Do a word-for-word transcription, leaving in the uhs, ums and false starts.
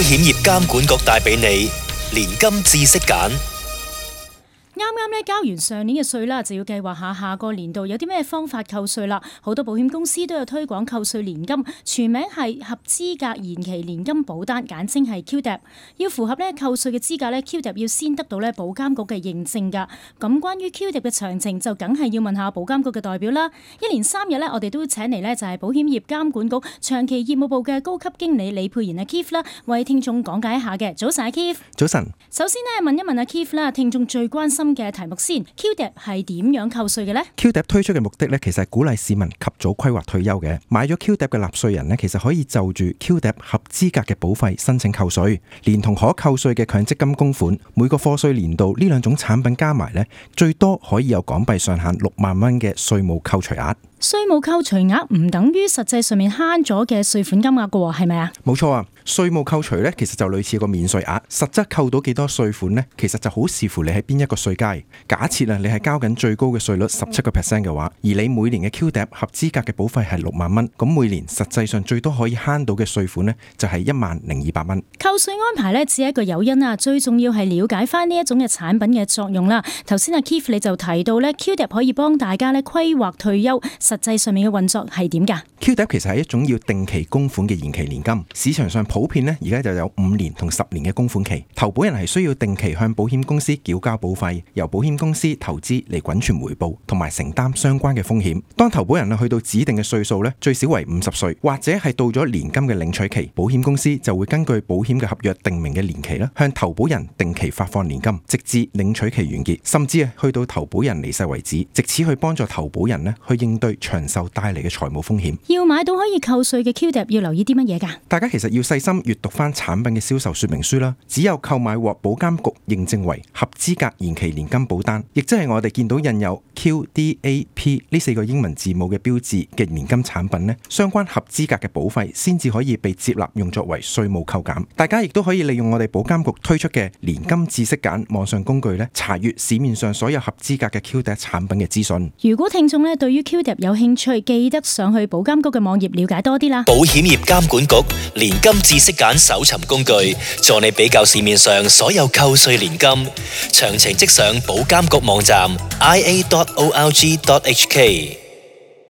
險業監管局帶俾你年金知識揀。啱啱咧交完上年嘅稅啦，就要計劃下下個年度有啲咩方法扣稅啦。好多保險公司都有推廣扣稅年金，全名係合資格延期年金保單，簡稱係 Q D A P。要符合咧扣稅嘅資格咧 ，Q D A P 要先得到咧保監局嘅認證㗎。咁關於 Q D A P 嘅詳情，就梗係要問下保監局嘅代表啦。一連三日咧，我哋都請嚟咧就係保險業監管局長期業務部嘅高級經理李沛然阿 Keith 啦，為聽眾講解一下嘅。早晨阿 Keith。早晨。首先咧問一問阿 Keith 啦，聽眾最關心嘅題目先 ，Q D A P 係點樣扣稅嘅呢？ Q D A P 推出嘅目的咧，其實係鼓勵市民及早規劃退休嘅。買咗 Q D A P 嘅納稅人咧，其實可以就住 Q D A P 合資格嘅保費申請扣稅，連同可扣稅嘅強積金供款，每個課稅年度呢兩種產品加埋咧，最多可以有港幣上限六萬蚊嘅稅務扣除額。稅務扣除額唔等於實際上面慳咗嘅稅款金額㗎喎，係咪啊？冇錯啊，稅務扣除咧，其實就類似個免稅額，實質扣到幾多稅款呢？其實就好視乎你喺邊一個稅階。假設啊，你係交緊最高嘅稅率十七個 percent 嘅話，而你每年嘅 Q D A P 合資格嘅保費係六萬蚊，咁每年實際上最多可以慳到嘅稅款呢，就係一萬零二百蚊。扣稅安排呢，只係一個誘因啊，最重要係了解翻呢一種嘅產品嘅作用啦。頭先阿 Keith 你就提到呢 Q D A P 可以幫大家咧規劃退休，實際上面嘅運作係點㗎？ Q D A P 其實係一種要定期供款嘅延期年金，市場上普遍呢，而家就有五年同十年嘅供款期。投保人係需要定期向保險公司繳交保費，由保險公司投資嚟滾存回報，同埋承擔相關嘅風險。當投保人啊去到指定嘅歲數呢，最少為五十歲，或者係到咗年金嘅領取期，保險公司就會根據保險嘅合約定明嘅年期啦，向投保人定期發放年金，直至領取期完結，甚至啊去到投保人離世為止，藉此去幫助投保人呢去應對長壽帶嚟嘅財務風險。要買到可以扣稅嘅 Q D A P 要留意啲乜嘢㗎？大家其實要細心閱讀翻產品嘅銷售說明書啦。只有購買獲保監局認證為合資格延期年金保單，亦即係我哋見到印有 Q D A P 呢四個英文字母嘅標誌嘅年金產品呢，相關合資格嘅保費先至可以被接納用作為稅務扣減。大家亦都可以利用我哋保監局推出嘅年金知識揀網上工具呢，查閱市面上所有合資格嘅 Q D A P 產品嘅資訊。如果聽眾呢對於 Q D A P 有興趣，記得上去保監局嘅網頁了解多啲啦。保險業監管局年金知識揀搜尋工具，助你比較市面上所有扣稅年金，詳情即上保監局網站 i a dot org dot h k。